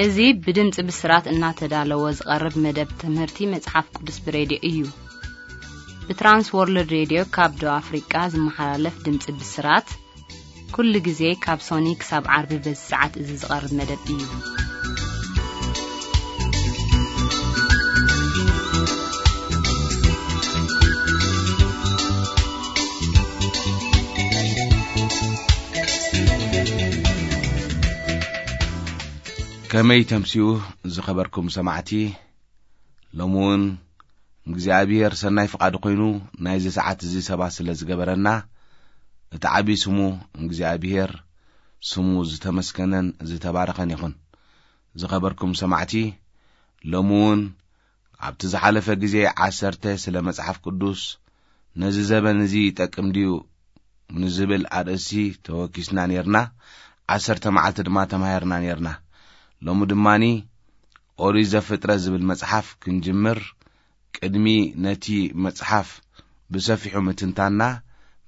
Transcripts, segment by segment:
እዚ ብድምፂ ብስራት እናተዳለወ ዝቐርብ መደብ ትምህርቲ መጽሓፍ ቅዱስ ብሬድዮ እዩ። ብትራንስ ወርልድ ሬድዮ ካብ ደቡብ ኣፍሪቃ ዝመሓላለፍ ድምፂ ብስራት፣ ኩሉ ግዜ ካብ ሶኒ ክሳብ ዓርቢ በዚ ሰዓት እዚ ዝቐርብ መደብ እዩ። ከመይ ተምስዩ ዝኸበርኩም ሰማዕቲ፣ ሎሚ እውን እግዚኣብሔር ሰናይ ፍቓዱ ኮይኑ ናይዚ ሰዓት እዚ ሰባት ስለ ዝገበረና፣ እቲ ዓቢ ስሙ እግዚኣብሔር ስሙ ዝተመስገነን ዝተባረኸን ይኹን። ዝኸበርኩም ሰማዕቲ፣ ሎሚ እውን ኣብቲ ዝሓለፈ ግዜ ዓሰርተ ስለ መጽሓፍ ቅዱስ ነዚ ዘበን እዚ ይጠቅም ድዩ ንዝብል ኣርእስቲ ተወኪስና ኔርና። ዓሰርተ መዓልቲ ድማ ተማሂርና ኔርና። ሎሚ ድማኒ ኦሪት ዘፍጥረት ዝብል መጽሓፍ ክንጅምር፣ ቅድሚ ነቲ መጽሓፍ ብሰፊሑ ምትንታና፣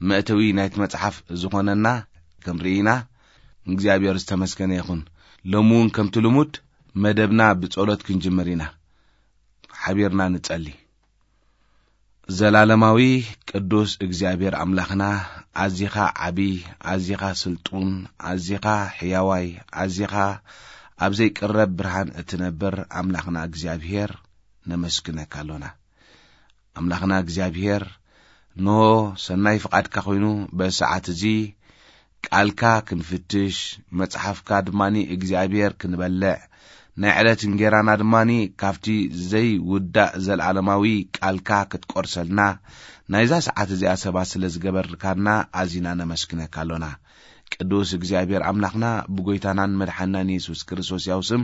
መእተዊ ናይቲ መጽሓፍ ዝኾነና ክንርኢ ኢና። እግዚኣብሔር ዝተመስገነ ይኹን። ሎሚ እውን ከምቲ ልሙድ መደብና ብጸሎት ክንጅምር ኢና። ሓቢርና ንጸሊ። ዘላለማዊ ቅዱስ እግዚኣብሔር ኣምላኽና፣ ኣዚኻ ዓቢ፣ ኣዚኻ ስልጡን፣ ኣዚኻ ሕያዋይ፣ ኣዚኻ ኣብ ዘይቅረብ ብርሃን እትነብር ኣምላኽና እግዚኣብሔር፣ ነመስግነካ ኣሎና። ኣምላኽና እግዚኣብሔር፣ እንሆ ሰናይ ፍቓድካ ኮይኑ በዚ ሰዓት እዚ ቃልካ ክንፍትሽ፣ መጽሓፍካ ድማኒ እግዚኣብሔር ክንበልዕ፣ ናይ ዕለት እንጌራና ድማኒ ካብቲ ዘይውዳእ ዘለዓለማዊ ቃልካ ክትቆርሰልና፣ ናይዛ ሰዓት እዚኣ ሰባት ስለ ዝገበርካና ኣዚና ነመስግነካ ኣሎና። ቅዱስ እግዚኣብሔር ኣምላኽና፣ ብጎይታናን መድሓናን የሱስ ክርስቶስ ያው ስም፣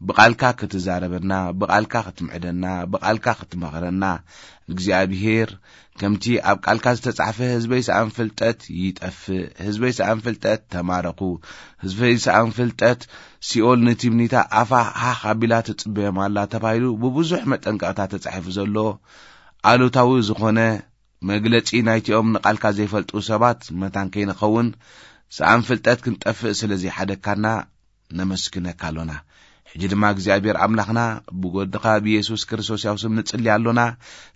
ብቓልካ ክትዛረበና፣ ብቓልካ ክትምዕደና፣ ብቓልካ ክትመኽረና፣ እግዚኣብሔር፣ ከምቲ ኣብ ቃልካ ዝተጻሕፈ፣ ህዝበይ ሰኣን ፍልጠት ይጠፍእ፣ ህዝበይ ሰኣን ፍልጠት ተማረኹ፣ ህዝበይ ሰኣን ፍልጠት፣ ሲኦል ንቲምኒታ ኣፋ ሃኽ ኣቢላ ትጽበዮም ኣላ ተባሂሉ ብብዙሕ መጠንቀቕታ ተጻሒፉ ዘሎ፣ ኣሉታዊ ዝኾነ መግለጺ ናይቲኦም ንቓልካ ዘይፈልጡ ሰባት መታን ከይንኸውን፣ ሰኣን ፍልጠት ክንጠፍእ ስለ ዘይሓደግካና፣ ነመስግነካ ኣሎና። ሕጂ ድማ እግዚኣብሔር ኣምላኽና፣ ብወድኻ ብየሱስ ክርስቶስ ያው ስም ንጽሊ ኣሎና።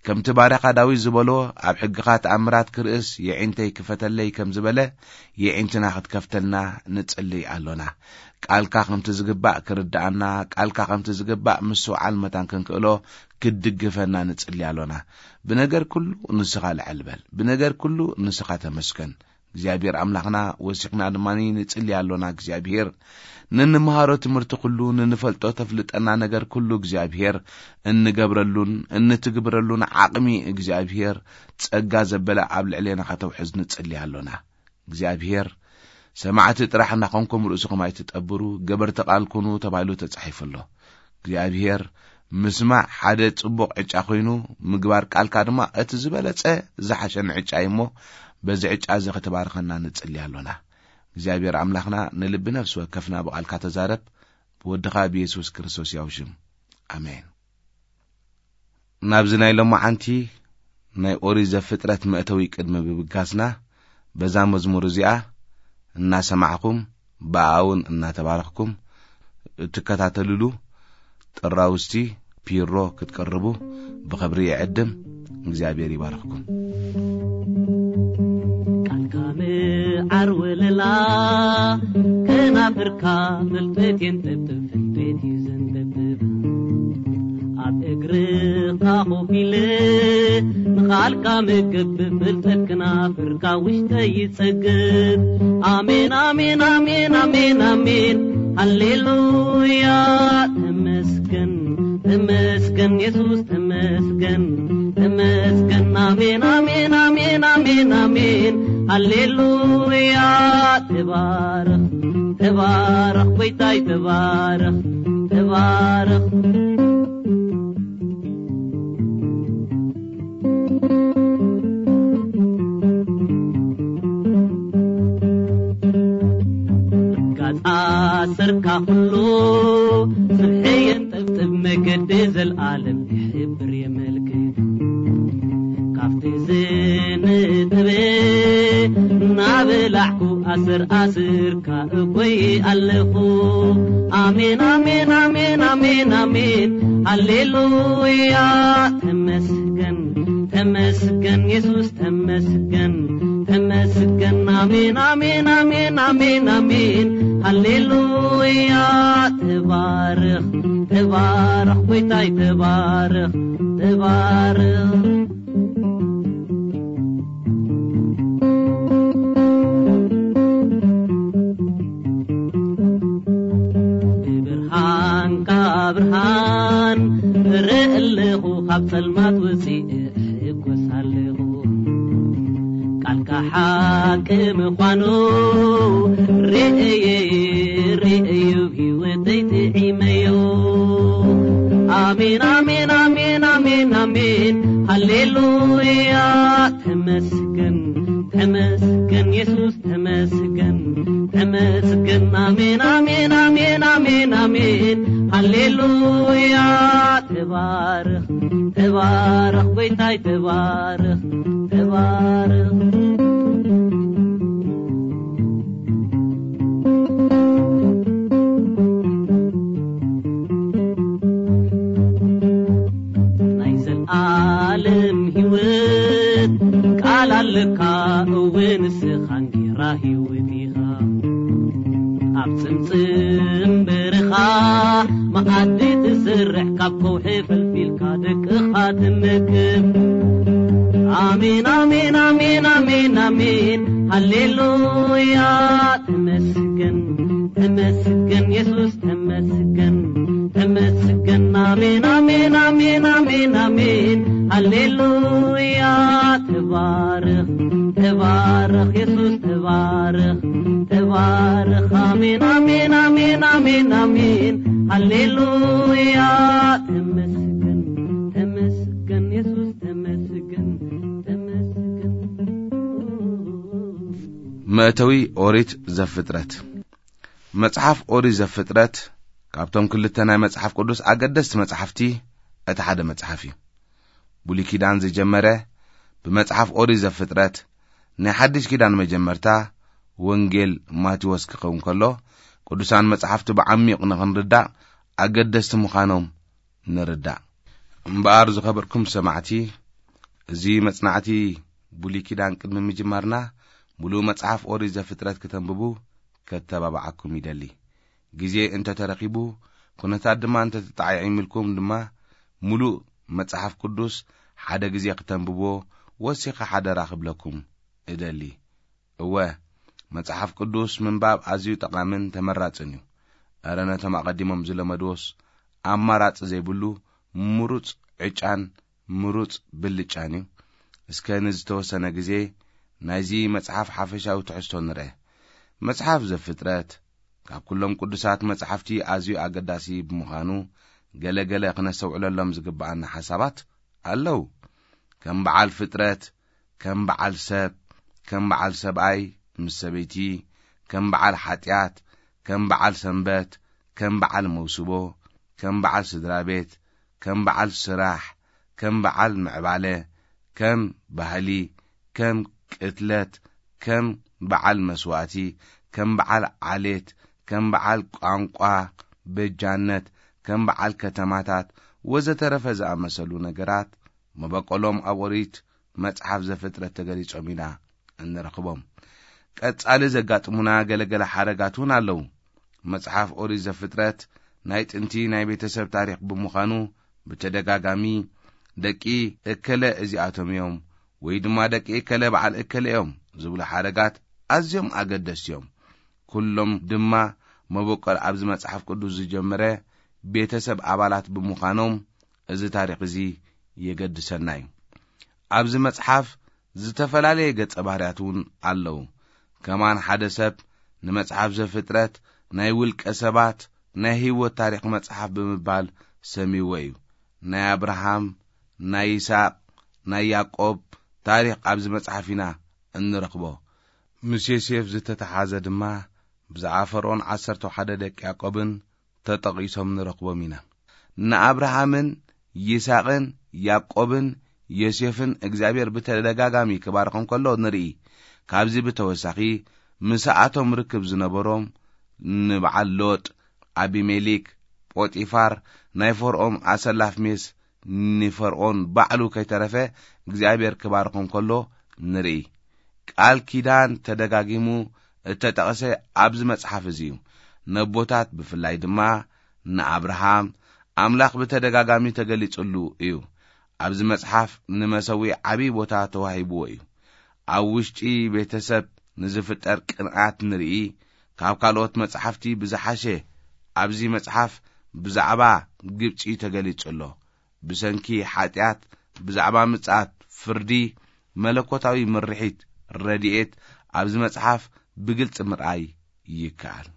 ከምቲ ባርያኻ ዳዊት ዝበሎ፣ ኣብ ሕግኻ ተኣምራት ክርእስ የዒንተይ ክፈተለይ ከም ዝበለ፣ የዒንትና ክትከፍተልና ንጽሊ ኣሎና። ቃልካ ከምቲ ዝግባእ ክርድኣና፣ ቃልካ ከምቲ ዝግባእ ምስትውዓል መታን ክንክእሎ ክትድግፈና ንጽሊ ኣሎና። ብነገር ኩሉ ንስኻ ልዕል በል፣ ብነገር ኩሉ ንስኻ ተመስገን። እግዚኣብሔር ኣምላኽና፣ ወሲኽና ድማ ንጽሊ ኣሎና። እግዚኣብሔር፣ ንንምሃሮ ትምህርቲ ኩሉ፣ ንንፈልጦ ተፍልጠና ነገር ኩሉ እግዚኣብሔር፣ እንገብረሉን እንትግብረሉን ዓቕሚ እግዚኣብሔር ጸጋ ዘበለ ኣብ ልዕሌና ከተውሕዝ ንጽሊ ኣሎና። እግዚኣብሔር፣ ሰማዕቲ ጥራሕ እናኾንኩም ርእስኹም ኣይትጠብሩ፣ ገበርቲ ቃል ኩኑ ተባሂሉ ተጻሒፉ ኣሎ። እግዚኣብሔር፣ ምስማዕ ሓደ ጽቡቕ ዕጫ ኮይኑ፣ ምግባር ቃልካ ድማ እቲ ዝበለጸ ዝሓሸን ዕጫ እዩ እሞ፣ በዚ ዕጫ እዚ ክትባርኸና ንጽሊ ኣሎና። እግዚኣብሔር ኣምላኽና፣ ንልቢ ነፍሲ ወከፍና ብቓልካ ተዛረብ፣ ብወድኻ ብየሱስ ክርስቶስ ያው ሽም። ኣሜን። ናብዚ ናይ ሎማዓንቲ ናይ ኦሪት ዘፍጥረት መእተዊ ቅድሚ ምብጋስና፣ በዛ መዝሙር እዚኣ እናሰማዕኩም፣ ብኣኣ እውን እናተባረኽኩም እትከታተልሉ ጥራውስቲ ፒሮ ክትቀርቡ ብኽብሪ ይዕድም። እግዚኣብሔር ይባርኽኩም። ቃልካ መዓር ወለላ፣ ከናፍርካ ፍልጠት የንጠብጥብ፣ ፍልጠት እዩ ዘንጠብጥብ። ኣብ እግርኻ ኮፍ ኢለ ንቓልካ መገብ፣ ፍልጠት ክናፍርካ ውሽጠይ ይጸግብ። ኣሜን፣ ኣሜን፣ ኣሜን፣ ኣሜን፣ ኣሜን፣ ሃሌሉያ። ተመስገን፣ ተመስገን የሱስ፣ ተመስገን፣ ተመስገን። ኣሜን፣ ኣሜን፣ ኣሜን፣ ኣሜን፣ ኣሜን፣ ሃሌሉያ። ተባረኽ፣ ተባረኽ ጎይታይ፣ ተባረኽ፣ ተባረኽ። ጋጻ ሰርካ ኩሉ ስብሒ የንጠብጥብ፣ መገዲ ዘልኣለም ይሕብር የመልክት። ካብቲ ዝንጥበ ናበላዕኩ ኣስር ኣስርካ እኮይ ኣለኹ። ኣሜን፣ ኣሜን፣ ኣሜን፣ ኣሜን፣ ኣሜን። ሃሌሉያ። ተመስገን፣ ተመስገን፣ የሱስ ተመስገን፣ ተመስገን። ኣሜን፣ ኣሜን፣ ኣሜን፣ ኣሜን፣ ኣሜን። ሃሌሉያ። ተባረኽ፣ ተባረኽ፣ ጎይታይ ተባረኽ፣ ተባረኽ። ብብርሃንካ ብርሃን እርኢ ኣለኹ፣ ካብ ጸልማት ወጺእ እሕጎስ ኣለኹ። ቃልካ ሓቂ ምዃኑ ርእየ፣ ርእየ፣ ህይወተይ ጥዒመዮ። ኣሜን፣ ኣሜን፣ ኣሜን፣ ኣሜን፣ ኣሜን። ሃሌሉያ። ተመስገን፣ ተመስገን፣ የሱስ ተመስገን፣ ተመስገን። ኣሜን፣ ኣሜን፣ ኣሜን፣ ኣሜን፣ ኣሜን። ሃሌሉያ። ተባረኽ፣ ተባረኽ፣ ጎይታይ ተባረኽ፣ ተባረኽ። ናይ ዘልኣለም ህይወት ቃል ኣለካ፣ እወ ንስኻ እንጌራ ህይወት ኢኻ። ኣብ ጽምጽም በረኻ መኣዲ ትሰርሕ፣ ካብ ከውሒ ፈልፊልካ ደቅኻ ትመግብ። ኣሜን፣ ኣሜን፣ ኣሜን፣ ኣሜን፣ ኣሜን። ሃሌሉያ። ተመስገን፣ ተመስገን፣ የሱስ ተመስገን፣ ተመስገን። ኣሜን፣ ኣሜን፣ ኣሜን፣ ኣሜን፣ ኣሜን። ሃሌሉያ። ተባረኽ፣ ተባረኽ፣ የሱስ ተባረኽ፣ ተባረኽ። ኣሜን፣ ኣሜን፣ ኣሜን፣ ኣሜን፣ ኣሜን። ሃሌሉያ። ተመስገን፣ ተመስገን፣ የሱስ ተመስገን፣ ተመስገን። መእተዊ ኦሪት ዘፍጥረት። መጽሓፍ ኦሪት ዘፍጥረት ካብቶም ክልተ ናይ መጽሓፍ ቅዱስ ኣገደስቲ መጽሓፍቲ እቲ ሓደ መጽሓፍ እዩ። ብሉይ ኪዳን ዝጀመረ ብመጽሓፍ ኦሪት ዘፍጥረት፣ ናይ ሓድሽ ኪዳን መጀመርታ ወንጌል ማቴዎስ ክኸውን ከሎ፣ ቅዱሳን መጽሓፍቲ ብዓሚቕ ንኽንርዳእ ኣገደስቲ ምዃኖም ንርዳእ። እምበኣር ዝኸበርኩም ሰማዕቲ፣ እዚ መጽናዕቲ ብሉይ ኪዳን ቅድሚ ምጅማርና፣ ምሉእ መጽሓፍ ኦሪት ዘፍጥረት ክተንብቡ ከተባብዓኩም ይደሊ። ግዜ እንተ ተረኺቡ፣ ኩነታት ድማ እንተ ተጣዒዒምልኩም ድማ፣ ምሉእ መጽሓፍ ቅዱስ ሓደ ግዜ ክተንብብዎ ወሲኸ ሓደራ ክብለኩም እደሊ። እወ፣ መጽሓፍ ቅዱስ ምንባብ ኣዝዩ ጠቓምን ተመራጽን እዩ። እረ ነቶም ኣቐዲሞም ዝለመድዎስ ኣማራጺ ዘይብሉ ምሩጽ ዕጫን ምሩጽ ብልጫን እዩ። እስከ ንዝተወሰነ ግዜ ናይዚ መጽሓፍ ሓፈሻዊ ትሕዝቶ ንርአ። መጽሓፍ ዘፍጥረት ካብ ኩሎም ቅዱሳት መጻሕፍቲ ኣዝዩ ኣገዳሲ ብምዃኑ፣ ገለ ገለ ክነስተውዕለሎም ዝግብኣና ሓሳባት ኣለዉ። ከም በዓል ፍጥረት፣ ከም በዓል ሰብ፣ ከም በዓል ሰብኣይ ምስ ሰበይቲ፣ ከም በዓል ሓጢኣት፣ ከም በዓል ሰንበት፣ ከም በዓል መውስቦ፣ ከም በዓል ስድራ ቤት፣ ከም በዓል ስራሕ፣ ከም በዓል ምዕባለ፣ ከም ባህሊ፣ ከም ቅትለት፣ ከም በዓል መስዋእቲ፣ ከም በዓል ዓሌት፣ ከም በዓል ቋንቋ፣ በጃነት፣ ከም በዓል ከተማታት ወዘተረፈ ዝኣመሰሉ ነገራት መበቆሎም ኣብ ኦሪት መጽሓፍ ዘፍጥረት ተገሊጾም ኢና እንረኽቦም። ቀጻሊ ዘጋጥሙና ገለገለ ሓረጋት እውን ኣለዉ። መጽሓፍ ኦሪት ዘፍጥረት ናይ ጥንቲ ናይ ቤተሰብ ታሪኽ ብምዃኑ፣ ብተደጋጋሚ ደቂ እከለ እዚኣቶም እዮም ወይ ድማ ደቂ እከለ በዓል እከለ እዮም ዝብሉ ሓረጋት ኣዝዮም ኣገደስቲ እዮም። ኩሎም ድማ መበቆል ኣብዚ መጽሓፍ ቅዱስ ዝጀመረ ቤተሰብ ኣባላት ብምዃኖም፣ እዚ ታሪኽ እዚ የገድሰና እዩ። ኣብዚ መጽሓፍ ዝተፈላለየ ገጸ ባህርያት እውን ኣለዉ። ከማን ሓደ ሰብ ንመጽሓፍ ዘፍጥረት ናይ ውልቀ ሰባት ናይ ህይወት ታሪኽ መጽሓፍ ብምባል ሰሚዎ እዩ። ናይ ኣብርሃም፣ ናይ ይስሐቅ፣ ናይ ያዕቆብ ታሪኽ ኣብዚ መጽሓፍ ኢና እንረኽቦ። ምስ ዮሴፍ ዝተተሓዘ ድማ ብዛዕባ ፈርኦን ዓሰርተ ሓደ ደቂ ያዕቆብን ተጠቒሶም ንረኽቦም ኢና። ንኣብርሃምን ይስሐቅን ያዕቆብን ዮሴፍን እግዚኣብሔር ብተደጋጋሚ ክባርኾም ከሎ ንርኢ። ካብዚ ብተወሳኺ፣ ምስኣቶም ርክብ ዝነበሮም ንበዓል ሎጥ፣ ኣቢሜሌክ፣ ጶጢፋር፣ ናይ ፈርዖን ኣሰላፍ ሜስ፣ ንፈርዖን ባዕሉ ከይተረፈ እግዚኣብሔር ክባርኾም ከሎ ንርኢ። ቃል ኪዳን ተደጋጊሙ እተጠቕሰ ኣብዚ መጽሓፍ እዚ እዩ። ነቦታት ብፍላይ ድማ ንኣብርሃም ኣምላኽ ብተደጋጋሚ ተገሊጹሉ እዩ። ኣብዚ መጽሓፍ ንመሰዊ ዓብዪ ቦታ ተዋሂብዎ እዩ። ኣብ ውሽጢ ቤተሰብ ንዝፍጠር ቅንኣት ንርኢ። ካብ ካልኦት መጽሓፍቲ ብዝሓሸ ኣብዚ መጽሓፍ ብዛዕባ ግብጺ ተገሊጹ ኣሎ። ብሰንኪ ሓጢኣት፣ ብዛዕባ ምጽኣት ፍርዲ፣ መለኮታዊ ምርሒት፣ ረድኤት ኣብዚ መጽሓፍ ብግልጺ ምርኣይ ይከኣል።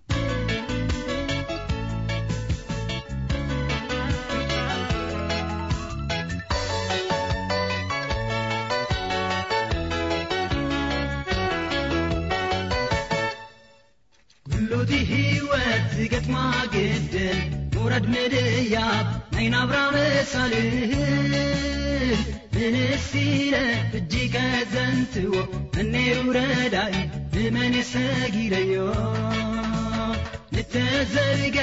ኩሉ እቲ ህይወት ዝገጥማ ግድል፣ ውረድ ምድያብ ናይ ናብራ መሳልል። ንንስ ኢለ እጅ ከዘንትዎ፣ መን ነይሩ ረዳኢ፣ ንመን ሰጊደዮ? ንተዘርገ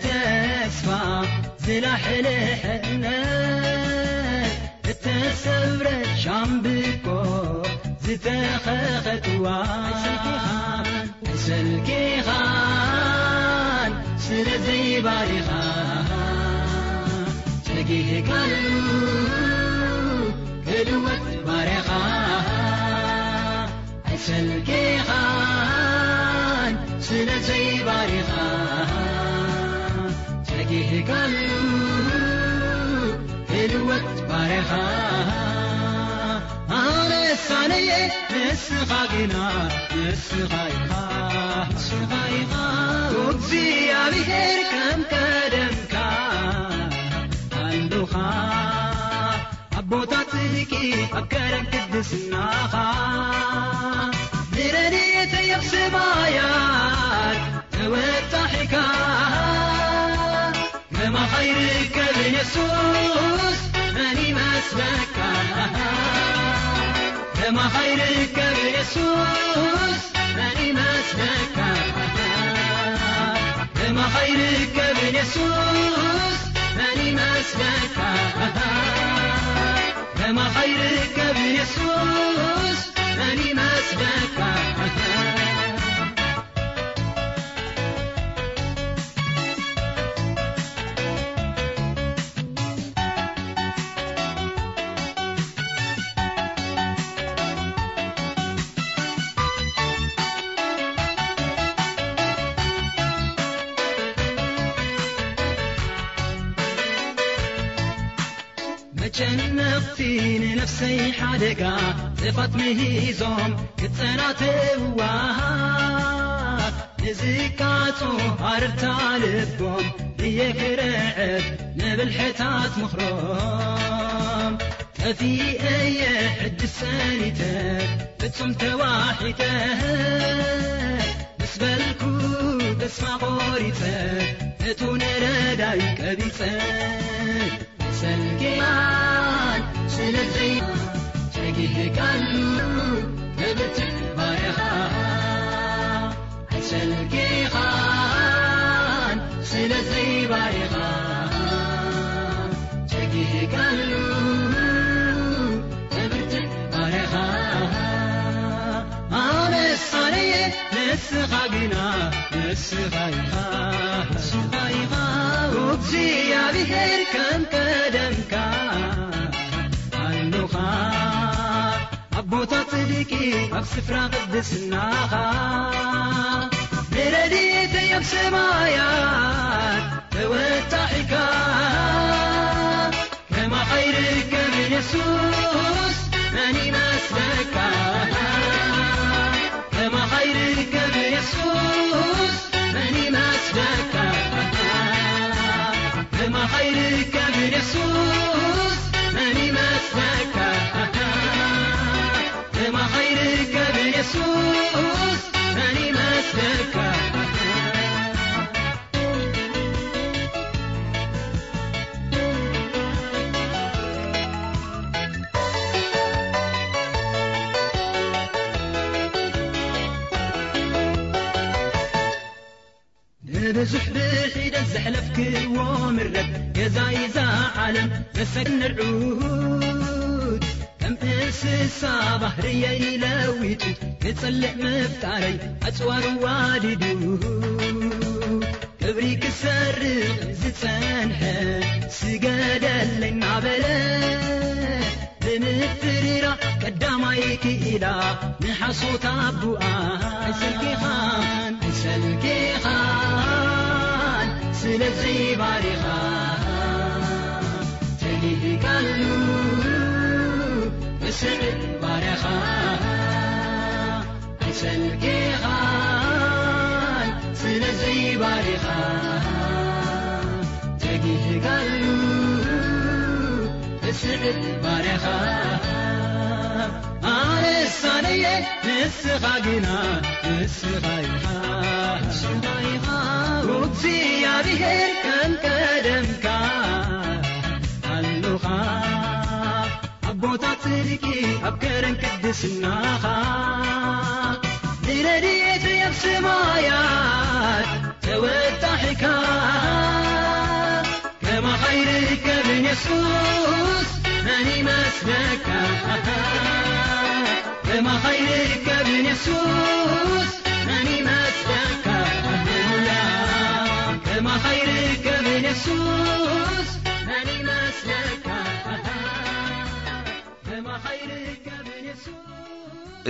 ተስፋ፣ ዝላሕልሐ እምነት፣ እተሰብረ ሻምብቆ፣ ዝተኸኸ ጥዋን፣ ኣይሰልኪኻን ስለ ዘይባሪኻ፣ ጸጊህካሉ ክልወጥ ባርያኻ። ኣይሰልኪኻን ስለ ዘይባሪኻ፣ ጸጊህካሉ ክልወጥ ባርያኻ። ኣነስ ኣነየ ንስኻ ግና፣ ንስኻ ኢኻ፣ ንስኻ ኢኻ። እግዚኣብሔር ከም ቀደምካ ኣሉኻ። ኣቦታት ጽድቂ ኣብ ከረን ቅድስናኻ፣ ንረድኤተይ ኣብ ሰማያት ተወጣሒካ። ከማኻ ይርከብን የሱስ መን ይመስለካ? ከማኻ ይርከብን የሱስ መን ይመስለካ? ከማኻ ይርከብን የሱስ መን ይመስለካ? ከማኻ ይርከብን የሱስ መን ይመስለካ? መጨነቕቲ ንነፍሰይ ሓደጋ፣ ጥፋት ምሂዞም ክጸናተውዋ፣ ንዝቃጾ ኣረርታ ልቦም እየ ክርዕድ ንብልሕታት ምኽሮም። ጠፊኤ እየ ሕጂ ሰኒተ ፍጹም ተዋሒጠ፣ ምስ በልኩ ተስፋ ቖሪጸ፣ እቱ ንረዳይ ቀቢጸ። ሰልኪኻን ስለዘይ ጸጊህካሉ፣ ተብትኽ ባርያኻ። ኣይሰልኪኻን ስለዘይ ባርያኻ፣ ጸጊህካሉ፣ ተብትኽ ባርያኻ። ኣነስ ኣነየ ንስኻ ግና፣ ንስኻ ኢኻ፣ ንስኻ ኢኻ። እግዚኣብሔር ከም ቀደምካ ኣሎኻ። ኣቦታት ጽድቂ ኣብ ስፍራ ቅድስናኻ፣ ንረድኤተይ ኣብ ሰማያት ተወጣሒካ። ከማኻ ይርከብን የሱስ መን ይመስለካ? ከማኻ ይርከብን የሱስ መን ይመስለካ? ከማኻ ይርከብን የሱስ መን ይመስለካ? ከማኻ ይርከብን የሱስ መን ይመስለካ? ብዙሕ ብሒደት ዘሕለፍክዎ ምረት ገዛይ እዛ ዓለም መሰግን ንርዑት ከም እንስሳ ባህርየይ ለዊጡ ክጽልእ ምፍጣረይ ኣጽዋር ዋዲዱ ክብሪ ክሰርቕ ዝጸንሐ ስገደለይ እናበለ ብምፍርራ ቀዳማይ ክኢላ ንሓሶት ኣቡኣ ኣይሰልኪኻን ኣይሰልኪኻን ስለዚ ባሪኻ ተጊህካሉ ብስዕድ ባርያኻ ኣይሰልኪኻን ስለዚ ባሪኻ ተጊህካሉ ብስዕድ ባርያኻ ኣነሳነየ ንስኻ ግና ንስኻ ኢኻ ንስኻ ኢኻ እግዚኣብሔር ከም ቀደምካ ኣሉኻ ኣብ ቦታ ጽድቂ ኣብ ከረን ቅድስናኻ ንረድኤት ኣብ ሰማያት ተወጣሒካ ከማኻ ይርከብን የሱስ መን ይመስለካ ከማኻ ይርከብን የሱስ መን ይመስለካ ሃሌሉያ ከማኻ ይርከብን የሱስ መን ይመስለካ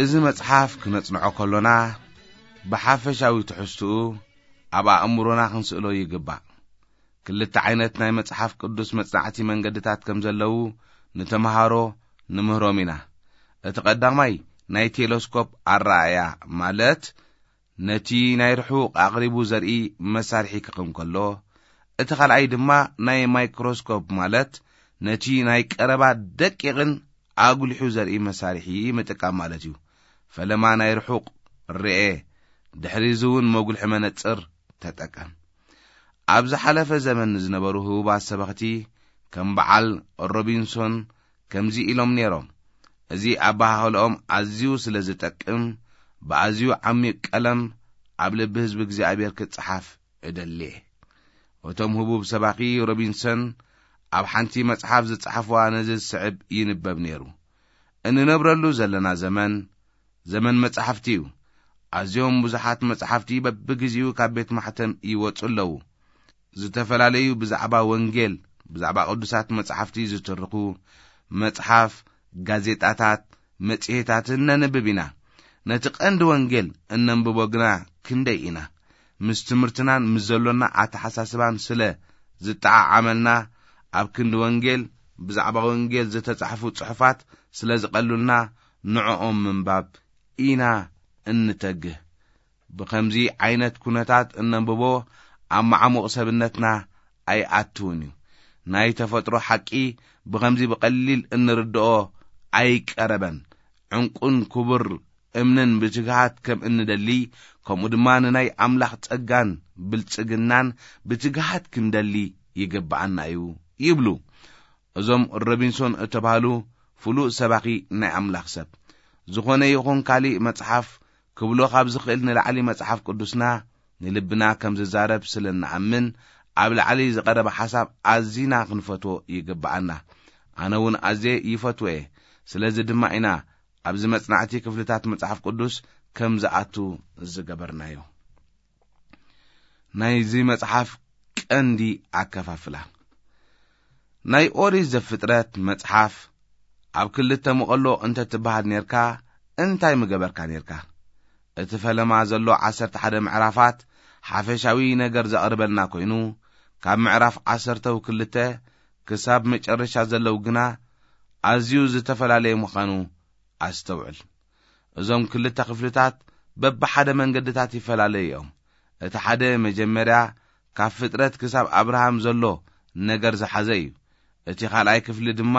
እዚ መጽሓፍ ክነጽንዖ ከሎና ብሓፈሻዊ ትሕዝትኡ ኣብ ኣእምሮና ክንስእሎ ይግባእ። ክልተ ዓይነት ናይ መጽሓፍ ቅዱስ መጽናዕቲ መንገድታት ከም ዘለዉ ንተምሃሮ ንምህሮም ኢና። እቲ ቀዳማይ ናይ ቴሌስኮፕ ኣረኣእያ ማለት ነቲ ናይ ርሑቕ ኣቕሪቡ ዘርኢ መሳርሒ ክቕም ከሎ፣ እቲ ካልኣይ ድማ ናይ ማይክሮስኮፕ ማለት ነቲ ናይ ቀረባ ደቂቕን ኣጉሊሑ ዘርኢ መሳርሒ ምጥቃም ማለት እዩ። ፈለማ ናይ ርሑቕ ርኤ፣ ድሕሪ እዚ እውን መጉልሒ መነጽር ተጠቀም። ኣብ ዝሓለፈ ዘመን ዝነበሩ ህቡባት ሰበኽቲ ከም በዓል ሮቢንሶን ከምዚ ኢሎም ነይሮም፣ እዚ ኣበሃህልኦም ኣዝዩ ስለ ዝጠቅም ብኣዝዩ ዓሚቕ ቀለም ኣብ ልቢ ህዝቢ እግዚኣብሔር ክጸሓፍ እደሊ። እቶም ህቡብ ሰባኺ ሮቢንሰን ኣብ ሓንቲ መጽሓፍ ዝጸሓፍዋ ነዚ ዝስዕብ ይንበብ ነይሩ። እንነብረሉ ዘለና ዘመን ዘመን መጻሕፍቲ እዩ። ኣዝዮም ብዙሓት መጻሕፍቲ በብግዜኡ ካብ ቤት ማሕተም ይወጹ ኣለዉ። ዝተፈላለዩ ብዛዕባ ወንጌል ብዛዕባ ቅዱሳት መጻሕፍቲ ዝትርኹ መጽሓፍ፣ ጋዜጣታት፣ መጽሔታትን ነንብብ ኢና። ነቲ ቀንዲ ወንጌል እነንብቦ ግና ክንደይ ኢና? ምስ ትምህርትናን ምስ ዘሎና ኣተሓሳስባን ስለ ዝጠዓዓመልና፣ ኣብ ክንዲ ወንጌል ብዛዕባ ወንጌል ዝተጻሕፉ ጽሑፋት ስለ ዝቐሉልና፣ ንዕኦም ምንባብ ኢና እንተግህ። ብኸምዚ ዓይነት ኩነታት እነንብቦ ኣብ መዓሙቕ ሰብነትና ኣይኣትውን እዩ። ናይ ተፈጥሮ ሓቂ ብኸምዚ ብቐሊል እንርድኦ ኣይቀረበን። ዕንቁን ክቡር እምንን ብትግሃት ከም እንደሊ፣ ከምኡ ድማ ንናይ ኣምላኽ ጸጋን ብልጽግናን ብትግሃት ክንደሊ ይግብኣና እዩ ይብሉ እዞም ሮቢንሶን እተባህሉ ፍሉጥ ሰባኺ ናይ ኣምላኽ ሰብ። ዝኾነ ይኹን ካሊእ መጽሓፍ ክብሎ ካብ ዝኽእል ንላዕሊ መጽሓፍ ቅዱስና ንልብና ከም ዝዛረብ ስለ እንኣምን፣ ኣብ ላዕሊ ዝቐረበ ሓሳብ ኣዚና ክንፈትዎ ይግብኣና። ኣነ እውን ኣዝየ ይፈትዎ እየ። ስለዚ ድማ ኢና ኣብዚ መጽናዕቲ ክፍልታት መጽሓፍ ቅዱስ ከም ዝኣቱ ዝገበርናዮ። ናይዚ መጽሓፍ ቀንዲ ኣከፋፍላ። ናይ ኦሪት ዘፍጥረት መጽሓፍ ኣብ ክልተ መቐሎ እንተ ትበሃል ኔርካ፣ እንታይ ምገበርካ ኔርካ? እቲ ፈለማ ዘሎ ዓሰርተ ሓደ ምዕራፋት ሓፈሻዊ ነገር ዘቕርበልና ኮይኑ፣ ካብ ምዕራፍ ዓሰርተው ክልተ ክሳብ መጨረሻ ዘለዉ ግና ኣዝዩ ዝተፈላለየ ምዃኑ ኣስተውዕል። እዞም ክልተ ክፍልታት በብሓደ መንገድታት ይፈላለዩ እዮም። እቲ ሓደ መጀመርያ ካብ ፍጥረት ክሳብ ኣብርሃም ዘሎ ነገር ዝሓዘ እዩ። እቲ ካልኣይ ክፍሊ ድማ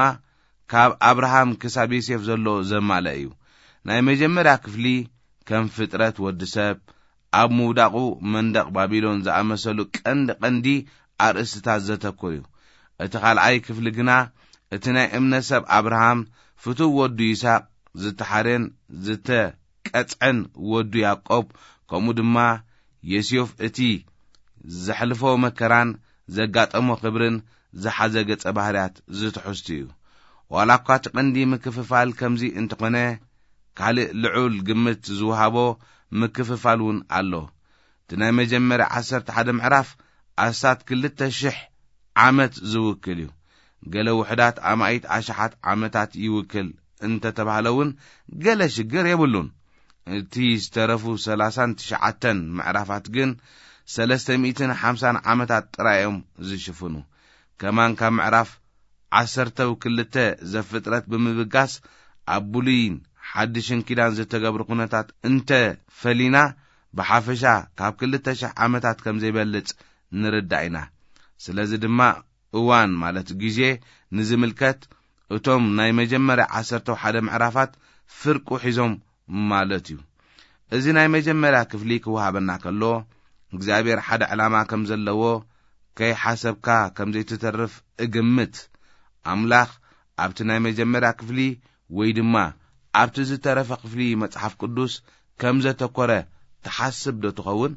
ካብ ኣብርሃም ክሳብ ዮሴፍ ዘሎ ዘማልአ እዩ። ናይ መጀመርያ ክፍሊ ከም ፍጥረት ወዲ ሰብ፣ ኣብ ምውዳቑ መንደቕ ባቢሎን ዝኣመሰሉ ቀንዲ ቀንዲ ኣርእስትታት ዘተኩር እዩ። እቲ ካልኣይ ክፍሊ ግና እቲ ናይ እምነት ሰብ ኣብርሃም ፍቱው ወዱ ይስሐቅ ዝተሓርየን ዝተቀጽዐን ወዱ ያዕቆብ፣ ከምኡ ድማ ዮሴፍ እቲ ዘሕልፎ መከራን ዘጋጠሞ ክብርን ዝሓዘ ገጸ ባህርያት ዝትሕዝቱ እዩ። ዋላ እኳ እቲ ቀንዲ ምክፍፋል ከምዚ እንተኾነ፣ ካልእ ልዑል ግምት ዝወሃቦ ምክፍፋል እውን ኣሎ። እቲ ናይ መጀመርያ ዓሰርተ ሓደ ምዕራፍ ኣስታት ክልተ ሽሕ ዓመት ዝውክል እዩ። ገለ ውሑዳት ኣማኢት ኣሽሓት ዓመታት ይውክል እንተተባህለ እውን ገለ ሽግር የብሉን። እቲ ዝተረፉ ሰላሳን ትሽዓተን ምዕራፋት ግን ሰለስተ ሚእትን ሓምሳን ዓመታት ጥራይ እዮም ዝሽፍኑ። ከማን ካብ ምዕራፍ ዓሰርተው ክልተ ዘፍጥረት ብምብጋስ ኣብ ብሉይን ሓድሽን ኪዳን ዝተገብሩ ኩነታት እንተ ፈሊና፣ ብሓፈሻ ካብ ክልተ ሽሕ ዓመታት ከም ዘይበልጽ ንርዳእ ኢና። ስለዚ ድማ እዋን ማለት ግዜ ንዝምልከት እቶም ናይ መጀመርያ ዓሰርተው ሓደ ምዕራፋት ፍርቁ ሒዞም ማለት እዩ። እዚ ናይ መጀመርያ ክፍሊ ክወሃበና ከሎ፣ እግዚኣብሔር ሓደ ዕላማ ከም ዘለዎ ከይሓሰብካ ከም ዘይትተርፍ እግምት። ኣምላኽ ኣብቲ ናይ መጀመርያ ክፍሊ ወይ ድማ ኣብቲ ዝተረፈ ክፍሊ መጽሓፍ ቅዱስ ከም ዘተኮረ ትሓስብ ዶ ትኸውን?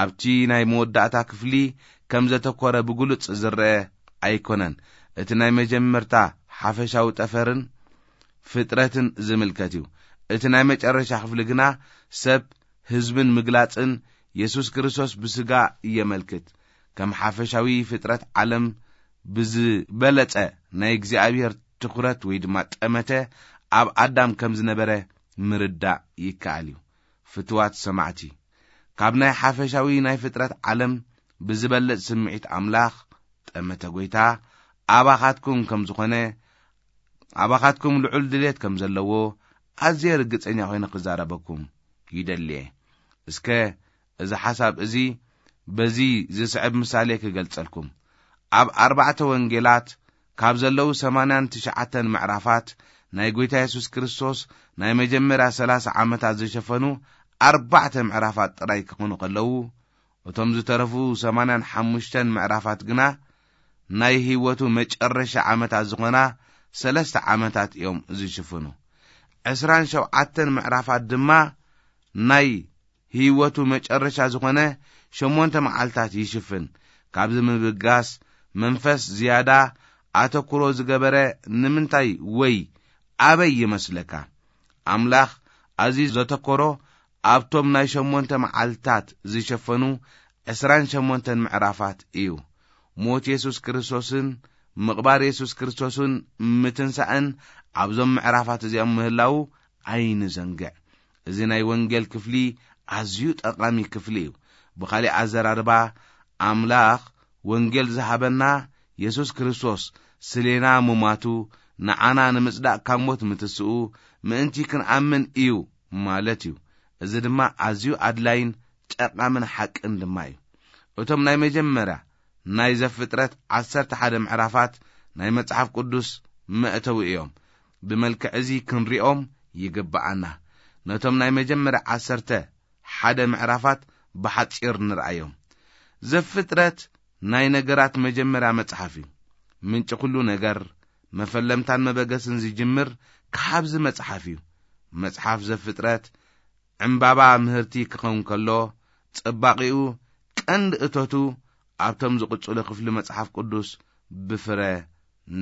ኣብቲ ናይ መወዳእታ ክፍሊ ከም ዘተኮረ ብግሉጽ ዝረአ ኣይኮነን። እቲ ናይ መጀመርታ ሓፈሻዊ ጠፈርን ፍጥረትን ዝምልከት እዩ። እቲ ናይ መጨረሻ ክፍሊ ግና ሰብ፣ ህዝብን ምግላጽን የሱስ ክርስቶስ ብስጋ የመልክት። ከም ሓፈሻዊ ፍጥረት ዓለም ብዝበለጸ ናይ እግዚኣብሔር ትኹረት ወይ ድማ ጠመተ ኣብ ኣዳም ከም ዝነበረ ምርዳእ ይከኣል እዩ። ፍትዋት ሰማዕቲ፣ ካብ ናይ ሓፈሻዊ ናይ ፍጥረት ዓለም ብዝበልጽ ስምዒት ኣምላኽ፣ ጠመተ ጐይታ፣ ኣባኻትኩም ከም ዝኾነ፣ ኣባኻትኩም ልዑል ድሌት ከም ዘለዎ ኣዝየ ርግጸኛ ኮይነ ክዛረበኩም ይደሊ እየ። እስከ እዚ ሓሳብ እዚ በዚ ዝስዕብ ምሳሌ ክገልጸልኩም። ኣብ ኣርባዕተ ወንጌላት ካብ ዘለዉ ሰማንያን ትሽዓተን ምዕራፋት ናይ ጐይታ የሱስ ክርስቶስ ናይ መጀመርያ ሰላሳ ዓመታት ዝሸፈኑ ኣርባዕተ ምዕራፋት ጥራይ ክኾኑ ከለዉ፣ እቶም ዝተረፉ ሰማንያን ሓሙሽተን ምዕራፋት ግና ናይ ህይወቱ መጨረሻ ዓመታት ዝኾና ሰለስተ ዓመታት እዮም ዝሽፍኑ። ዕስራን ሸውዓተን ምዕራፋት ድማ ናይ ህይወቱ መጨረሻ ዝኾነ ሸሞንተ መዓልታት ይሽፍን። ካብዚ ምብጋስ መንፈስ ዝያዳ ኣተኩሮ ዝገበረ ንምንታይ ወይ ኣበይ ይመስለካ? ኣምላኽ ኣዝዩ ዘተኮሮ ኣብቶም ናይ ሸሞንተ መዓልታት ዝሸፈኑ ዕስራን ሸሞንተን ምዕራፋት እዩ። ሞት የሱስ ክርስቶስን ምቕባር የሱስ ክርስቶስን ምትንሳእን ኣብዞም ምዕራፋት እዚኦም ምህላዉ ኣይንዘንግዕ። እዚ ናይ ወንጌል ክፍሊ ኣዝዩ ጠቓሚ ክፍሊ እዩ። ብኻሊእ ኣዘራርባ፣ ኣምላኽ ወንጌል ዝሃበና የሱስ ክርስቶስ ስሌና ምማቱ፣ ንዓና ንምጽዳቕ ካብ ሞት ምትስኡ ምእንቲ ክንኣምን እዩ ማለት እዩ። እዚ ድማ ኣዝዩ ኣድላይን ጠቓምን ሓቅን ድማ እዩ። እቶም ናይ መጀመርያ ናይ ዘፍጥረት ዓሰርተ ሓደ ምዕራፋት ናይ መጽሓፍ ቅዱስ መእተዊ እዮም። ብመልክዕ እዚ ክንሪኦም ይግብኣና። ነቶም ናይ መጀመርያ ዓሰርተ ሓደ ምዕራፋት ብሓጺር ንርኣዮም። ዘፍጥረት ናይ ነገራት መጀመርያ መጽሓፍ እዩ። ምንጪ ኩሉ ነገር፣ መፈለምታን መበገስን ዝጅምር ካብዚ መጽሓፍ እዩ። መጽሓፍ ዘፍጥረት ዕምባባ ምህርቲ ክኸውን ከሎ፣ ጽባቒኡ ቀንዲ እቶቱ ኣብቶም ዝቕጽሉ ክፍሊ መጽሓፍ ቅዱስ ብፍረ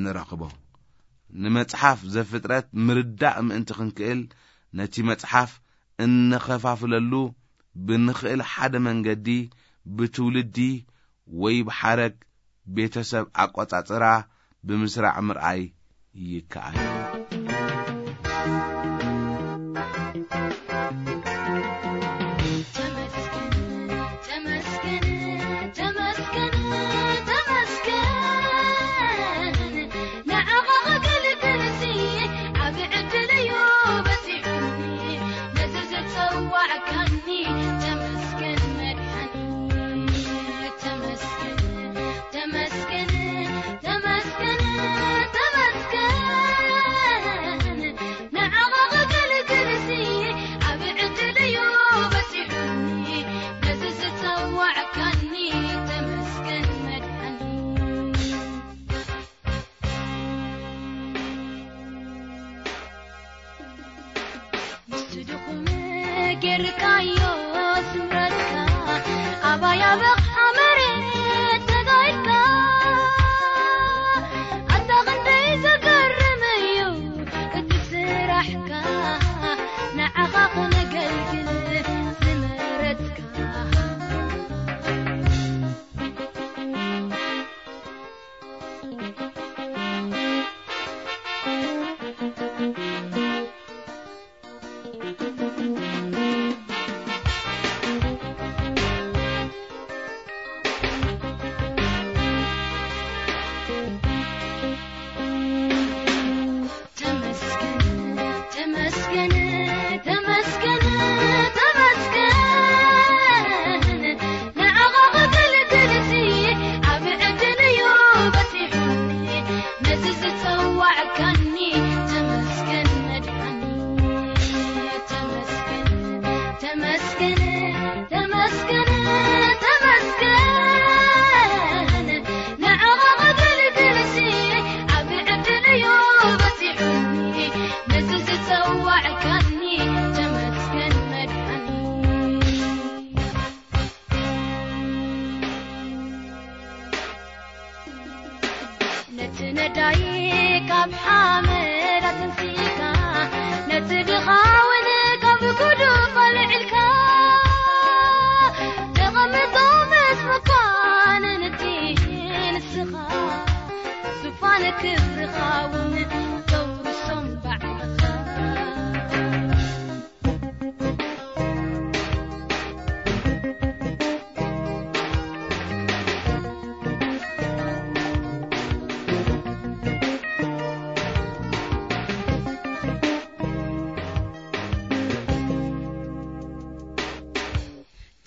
ንረኽቦ። ንመጽሓፍ ዘፍጥረት ምርዳእ ምእንቲ ክንክእል፣ ነቲ መጽሓፍ እንኸፋፍለሉ ብንኽእል ሓደ መንገዲ ብትውልዲ ወይ ብሓረግ ቤተሰብ ኣቆጻጽራ ብምስራዕ ምርኣይ ይከኣል። ተመስገን፣ ተመስገን፣ ተመስገን፣ ተመስገን። ንዓኻ ከገልግልሲ ዓቢ ዕድል እዩ በጺሑኒ። ነዚ ዝጸዋዕካኒ ተመስገን መድሓኒ። ተመስገን፣ ተመስገን፣ ተመስገን፣ ተመስገን። ንዓኻ ከገልግልሲ ዓቢ ዕድል እዩ በጺሑኒ። ነዚ ዝጸዋዕካኒ ተመስገን መድሓኒ። ምስቲ ድኹም ጌርካዮ ስምረትካ፣ ኣባይ ኣበኻ ክብርኻ እውን ተውርሶም ባዕልኻ።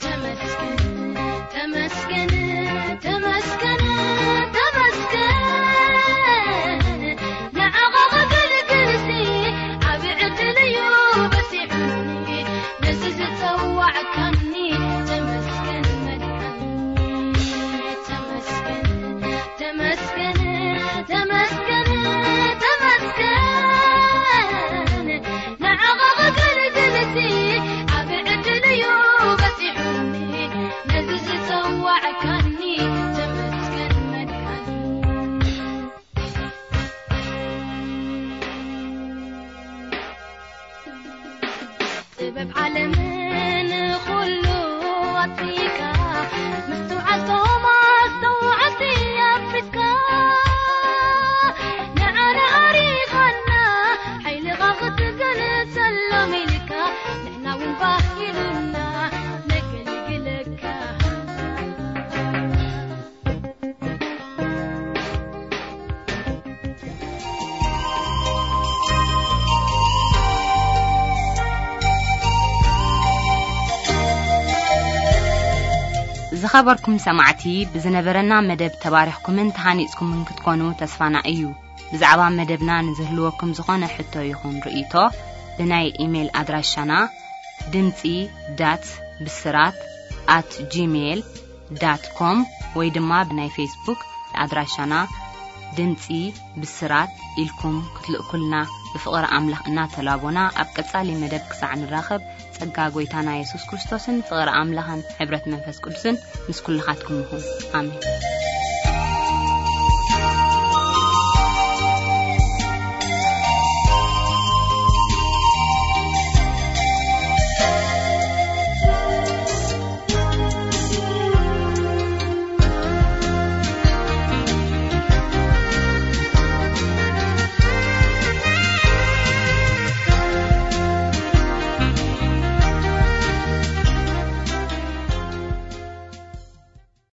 ተመስገን፣ ተመስገን፣ ተመስገን፣ ተመስገን። ንዓኻ ከገልግልሲ ዓቢ ዕድል እዩ በጺሑኒ። ነዚ ዝጸዋዕካኒ ተመስገን መድሓኒ። ተመስገን፣ ተመስገን፣ ተመስገን፣ ተመስገን። ንዓኻ ከገልግልሲ ዓቢ ዕድል እዩ በጺሑኒ። ነዚ ዝጸዋዕካኒ ተመስገን መድሓኒ። ጥበብ ዓለምን ኩሉ ኣጥፊእካ፣ ምስትውዓል ቶም ኣስተውዓልቲ ኣፍሪስካ። ንዓና ኣሪኻና፣ ሓይልኻ ክትገልጸሎም ኢልካ፣ ንሕና እውን ባህ ኢሉና ነገልግለካ። ዝኸበርኩም ሰማዕቲ፣ ብዝነበረና መደብ ተባሪኽኩምን ተሃኒጽኩምን ክትኮኑ ተስፋና እዩ። ብዛዕባ መደብና ንዝህልወኩም ዝኾነ ሕቶ ይኹን ርእይቶ፣ ብናይ ኢሜይል ኣድራሻና ድምጺ ዳት ብስራት ኣት ጂሜይል ዳት ኮም ወይ ድማ ብናይ ፌስቡክ ኣድራሻና ድምጺ ብስራት ኢልኩም ክትልእኩልና ብፍቕሪ ኣምላኽ እናተላቦና፣ ኣብ ቀጻሊ መደብ ክሳዕ ንራኸብ፣ ጸጋ ጐይታና የሱስ ክርስቶስን ፍቕሪ ኣምላኽን ሕብረት መንፈስ ቅዱስን ምስ ኩልኻትኩም ይኹን። ኣሜን።